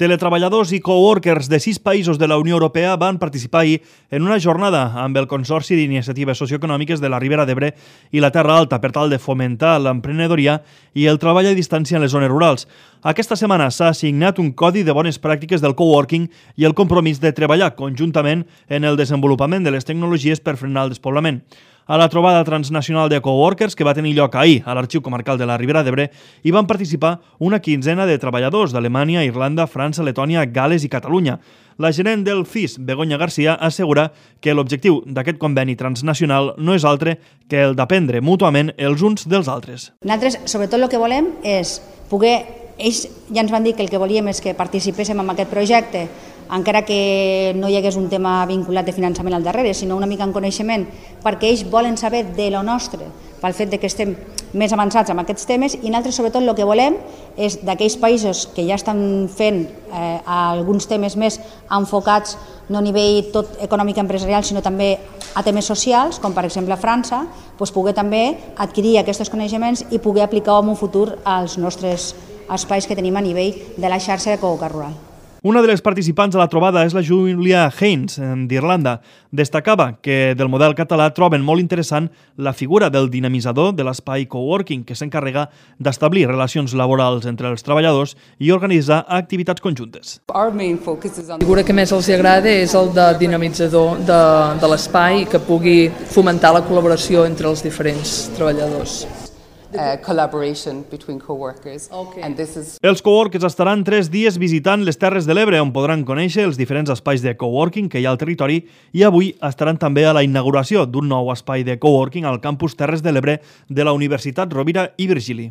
Teletreballadors i coworkers de 6 països de la Unió Europea van participar ahir en una jornada amb el Consorci d'Iniciatives Socioeconòmiques de la Ribera d'Ebre i la Terra Alta per tal de fomentar l'emprenedoria i el treball a distància en les zones rurals. Aquesta setmana s'ha signat un codi de bones pràctiques del coworking i el compromís de treballar conjuntament en el desenvolupament de les tecnologies per frenar el despoblament. A la trobada transnacional de coworkers que va tenir lloc ahir a l'Arxiu Comarcal de la Ribera d'Ebre hi van participar una quinzena de treballadors d'Alemanya, Irlanda, França, Letònia, Gal·les i Catalunya. La gerent del CIS, Begoña García, assegura que l'objectiu d'aquest conveni transnacional no és altre que el d'aprendre mútuament els uns dels altres. Nosaltres, sobretot, el que volem és poder... Ells ja ens van dir que el que volíem és que participéssim en aquest projecte, encara que no hi hagués un tema vinculat de finançament al darrere, sinó una mica en coneixement, perquè ells volen saber de lo nostre, pel fet que estem més avançats en aquests temes, i nosaltres sobretot el que volem és d'aquells països que ja estan fent alguns temes més enfocats no a nivell tot econòmic i empresarial, sinó també a temes socials, com per exemple a França, poder també adquirir aquests coneixements i poder aplicar en un futur als nostres espais que tenim a nivell de la xarxa de coworking rural. Una de les participants a la trobada és la Julia Haynes, d'Irlanda. Destacava que del model català troben molt interessant la figura del dinamitzador de l'espai coworking, que s'encarrega d'establir relacions laborals entre els treballadors i organitzar activitats conjuntes. La figura que més els agrada és el de dinamitzador de l'espai, que pugui fomentar la col·laboració entre els diferents treballadors. Collaboration between co-workers. Okay. And this is... Els coworkers estaran 3 dies visitant les Terres de l'Ebre, on podran conèixer els diferents espais de coworking que hi ha al territori, i avui estaran també a la inauguració d'un nou espai de coworking al campus Terres de l'Ebre de la Universitat Rovira i Virgili.